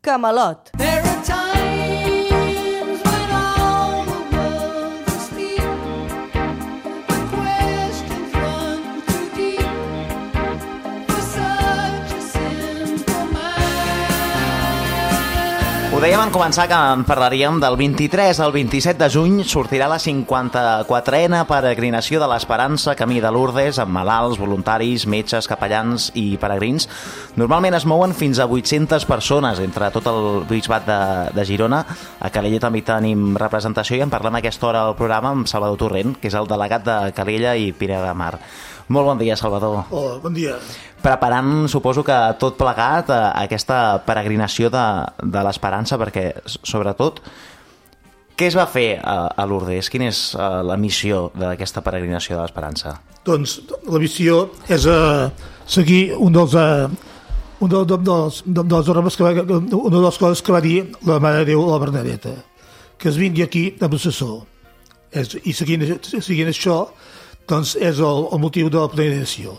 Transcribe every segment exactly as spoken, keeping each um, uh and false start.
Camelot. Ho dèiem en començar que en parlaríem del vint-i-tres al vint-i-set de juny sortirà la cinquanta-quatrena peregrinació de l'Esperança Camí de Lourdes amb malalts, voluntaris, metges, capellans i peregrins. Normalment es mouen fins a vuit-centes persones entre tot el bisbat de, de Girona. A Calella també tenim representació i en parlem a aquesta hora al programa amb Salvador Torrent, que és el delegat de Calella i Pineda de Mar. Molt bon dia, Salvador. Hola, bon dia. Preparant, suposo que tot plegat, a aquesta peregrinació de, de l'Esperança, perquè, sobretot, què es va fer a, a Lourdes? Quina és uh, la missió d'aquesta peregrinació de l'Esperança? Doncs la missió és uh, seguir un dels... Uh, un dels, dels, dels normes que va, una de les coses que va dir la Mare de Déu, la Bernadeta, que es vingui aquí amb l'assessor. I seguint, seguint això, doncs és el, el motiu de la peregrinació.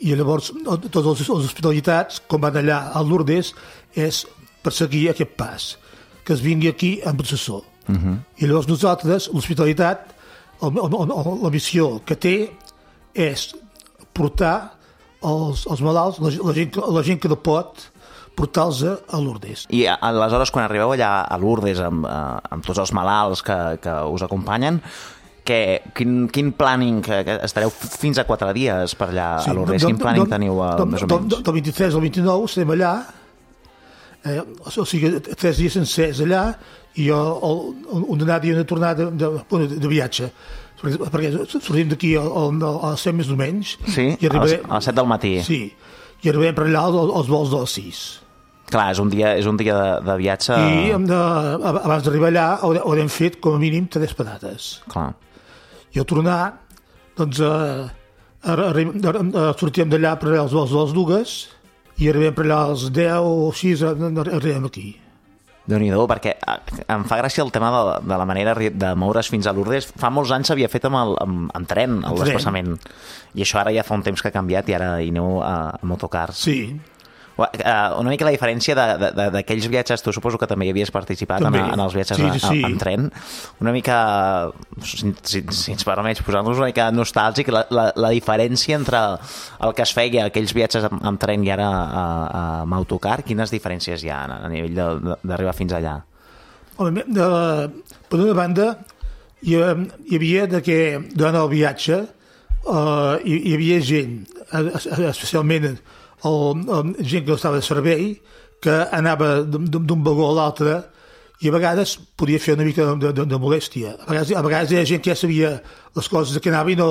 I llavors totes les hospitalitats, com van allà a Lourdes, és per seguir aquest pas, que es vingui aquí amb l'assessor. Uh-huh. I llavors nosaltres, l'hospitalitat, el, el, el, la missió que té és portar els, els malalts, la, la, gent, la gent que no pot, portar-los a Lourdes. I aleshores, quan arribeu allà a Lourdes amb, amb tots els malalts que, que us acompanyen, que, quin, quin planning, que estareu fins a quatre dies per allà sí, a Lourdes, quin planning teniu a, més o menys? Del vint-i-tres al vint-i-nou estem allà, eh, o sigui, tres dies sencers allà, i jo una anada i una tornada de, de, de viatge, perquè, perquè sortim d'aquí a, a, a les set més o menys. Sí, i arribarem, a les set del matí. Sí, i arribem per allà als vols de les sis. Clar, és un dia, és un dia de, de viatge... I hem de, abans d'arribar allà haurem fet com a mínim tres parades. Clar. I al tornar, doncs, eh, eh, sortíem d'allà per allà als vols de les dues i arribem per allà als deu o així, arribem aquí. Déu-n'hi-do, perquè em fa gràcia el tema de, de la manera de moure's fins a Lourdes. Fa molts anys s'havia fet amb, el, amb, amb tren, el desplaçament. I això ara ja fa un temps que ha canviat i ara hi aneu a, a motocars. Sí. Una mica la diferència d'aquells viatges, tu suposo que també hi havies participat en, en els viatges sí, sí. en tren, una mica, si, si, si ens permets posar-nos una mica nostàlgic, la, la, la diferència entre el que es feia aquells viatges amb, amb tren i ara a, a, amb autocar, quines diferències hi ha a nivell d'arribar fins allà? Home, de, per una banda, hi, hi havia de que durant el viatge uh, hi, hi havia gent, especialment el, el, gent que estava de servei, que anava d'un vagó a l'altre i a vegades podia fer una mica de, de, de molèstia. A vegades, a vegades hi ha gent que ja sabia les coses que anava i no,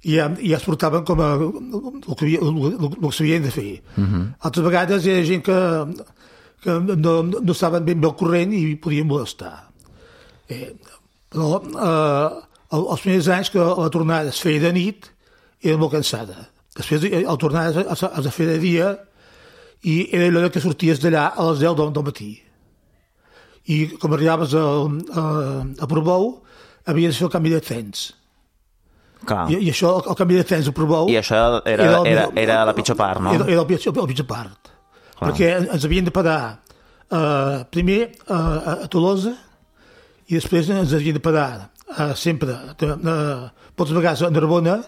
i ja, i ja es portaven com a el que, havia, el, el que s'havien de fer. Uh-huh. Altres vegades hi ha gent que, que no, no estaven ben bé al corrent i podien molestar. Eh, però eh, els primers anys que la tornada es feia de nit era molt cansada. Després, al tornar, has de fer de dia i era allò que sorties d'allà a les deu del matí. I com arribaves a, a, a Portbou, havies de fer el canvi de trens. Clar. I, I això, el canvi de trens a Portbou... I això era, era, era, era la pitjor part, no? Era, era la pitjor, la pitjor part. Clar. Perquè ens havien de parar uh, primer uh, a Tolosa i després ens havien de parar uh, sempre, uh, poques vegades a Narbona,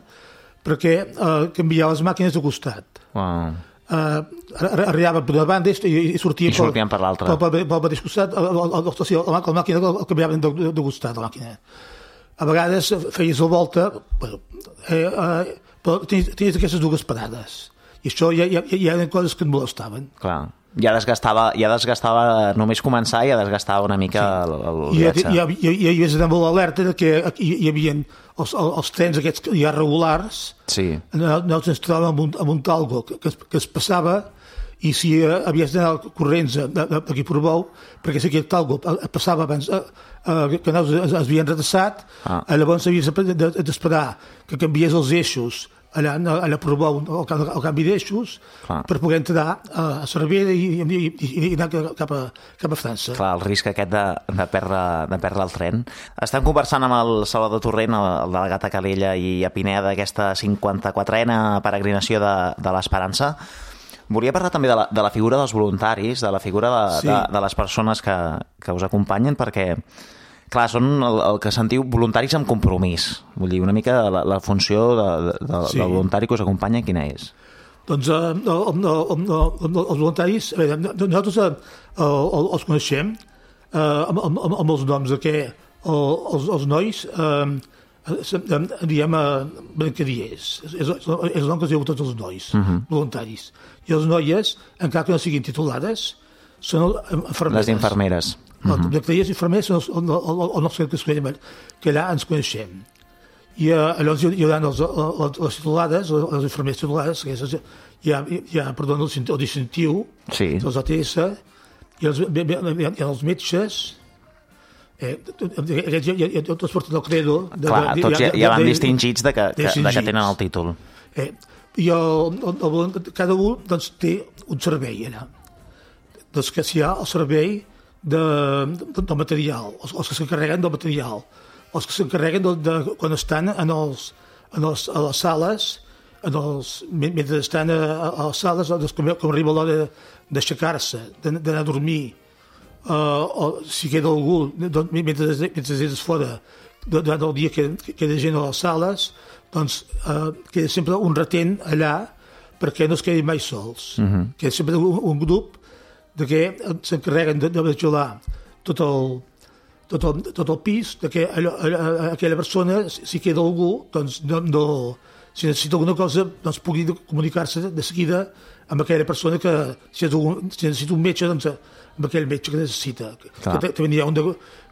perquè uh, canviava les màquines de costat. Wow. Uh, arribaven per una banda i, i sortien, I sortien per, per l'altra. Per, per, per el mateix costat, la, la, la, la, la màquina el canviaven de, de costat, la màquina. A vegades feies la volta, però, eh, eh, però tenies, tenies aquestes dues parades. I això ja, ja, ja eren coses que et molestaven. Clar. Ja desgastava, ja desgastava només començar, ja desgastava una mica sí. el, el viatge. I ja, ja, ja hi havies d'anar molt alerta que hi, hi havia els, els trens aquests ja regulars. Sí. Nosaltres ens trobàvem amb un, amb un talgo que, que, es, que es passava i si uh, havies d'anar corrents d'aquí a Portbou, perquè si aquest talgo passava abans uh, uh, que nosaltres es, es havien retrasat, ah. llavors havies d'esperar que canviés els eixos allà, allà a Portbou el, el canvi d'eixos clar. Per poder entrar a Cervera i, i, i, i anar cap a, cap a França. Clar, el risc aquest de, de, perdre, de perdre el tren. Estem conversant amb el Salvador Torrent, el, el delegat a Calella i a Pineda d'aquesta cinquanta-quatrena peregrinació de, de l'Esperança. Volia parlar també de la, de la figura dels voluntaris, de la figura de, Sí. de, de les persones que, que us acompanyen, perquè, clar, són el, el que sentiu voluntaris amb compromís. Vull dir, una mica la, la funció de, de, de, Sí. del voluntari que us acompanya, quina és? Doncs eh, el- el- el- el- els voluntaris, a veure, nosaltres eh, el- els coneixem eh, amb, amb, amb amb els noms de que el, els, els nois eh, eh, diem eh, brancadiers. És, és, és el nom que es diu a tots els nois, uh -huh. voluntaris. I les noies, encara que no siguin titulades, són infermeres. Les infermeres. Uh -huh. Els brancadiers i infermers són els, el, el, el nostre que, es coneixem, que allà ens coneixem. I uh, llavors hi haurà els, les, les titulades, les infermeres titulades, que és, hi ha, hi ha perdó, el, el distintiu, Sí. els A T S, i els, hi ha els metges, eh, aquests ja, ja, ja tots porten el credo. De, Clar, de, tots ja, ja van de- distingits de que, que, de que distingits. tenen el títol. Eh, I el, el, el, cada un doncs, té un servei allà. Doncs que si hi ha el servei de, de, del material, els, els que s'encarreguen del material, els que s'encarreguen de, de, quan estan en, els, en els, a les sales, en els, mentre estan a, a les sales, doncs, com, com arriba l'hora d'aixecar-se, d'anar a dormir, uh, o si queda algú, doncs, mentre, mentre és fora, durant el dia que queda gent a les sales, doncs uh, queda sempre un retent allà perquè no es quedin mai sols. Uh -huh. Queda sempre un, un grup de que s'encarreguen de, de vigilar tot el, tot el, tot el pis, de que allò, allò, aquella persona, si queda algú, doncs no, no, si necessita alguna cosa, doncs pugui comunicar-se de seguida amb aquella persona que, si, és un, si necessita un metge, doncs amb aquell metge que necessita. Clar. Que també hi ha un de,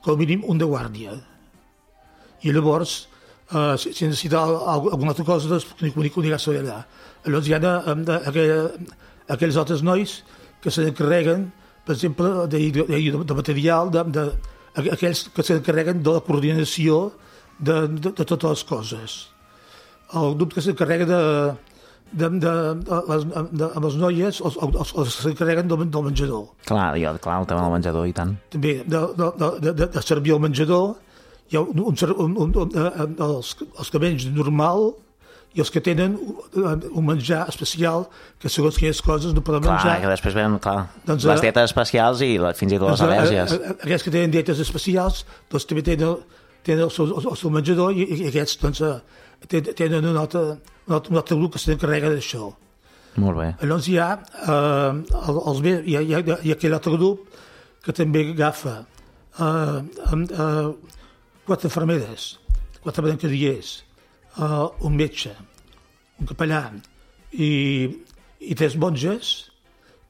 com a mínim un de guàrdia. I llavors, uh, si, si necessita alguna altra cosa, doncs comunicar-se allà. Llavors hi ha de, de, aquella, aquells altres nois que s'encarreguen, per exemple, de, de, de material, de, de, aquells que s'encarreguen de la coordinació de, de, de totes les coses. El grup que s'encarrega de, de, de, de, les, de, amb les noies, els, els, els que s'encarreguen del, del menjador. Clar, jo, clar, el tema del menjador, i tant. També de, de, de, de servir el menjador, hi ha un, un, un, un, un, els, els que mengen normal i els que tenen un menjar especial que segons quines coses no poden clar, menjar. Clar, que després venen clar, doncs, les dietes especials i la, fins i tot les al·lèrgies. Aquests que tenen dietes especials doncs també tenen, tenen el, seu, el seu menjador i, i aquests doncs, tenen un altre, un altre, un altre grup que s'encarrega d'això. Molt bé. Llavors hi ha, eh, els, hi, ha, hi, ha, hi ha aquell altre grup que també agafa eh, eh, quatre infermeres, quatre brancadiers, uh, un metge, un capellà i, i tres monges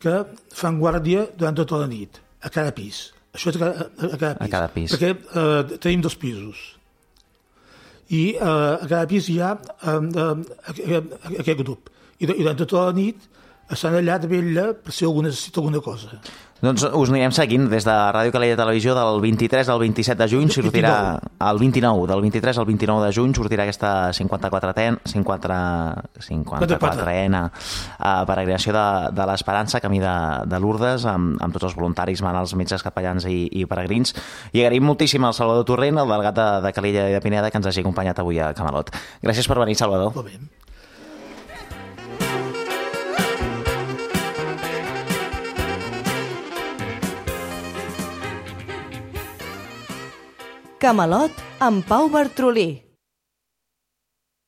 que fan guàrdia durant tota la nit, a cada pis. Això és a cada, a cada pis. A cada pis. Perquè uh, tenim dos pisos. I uh, a cada pis hi ha um, um, aquest grup. I, I durant tota la nit estan allà de vetlla per si algú necessita alguna cosa. Doncs us anirem seguint des de Ràdio Calella Televisió del vint-i-tres al vint-i-set de juny, sortirà el vint-i-nou, del vint-i-tres al vint-i-nou de juny sortirà aquesta cinquanta-quatrena uh, peregrinació de, de l'Esperança, camí de, de Lourdes, amb, amb tots els voluntaris, malalts, metges, capellans i, i peregrins. I agraïm moltíssim al Salvador Torrent, el delegat de, de Calella i de Pineda, que ens hagi acompanyat avui a Camalot. Gràcies per venir, Salvador. Molt bé. Camalot amb Pau Bartrolí.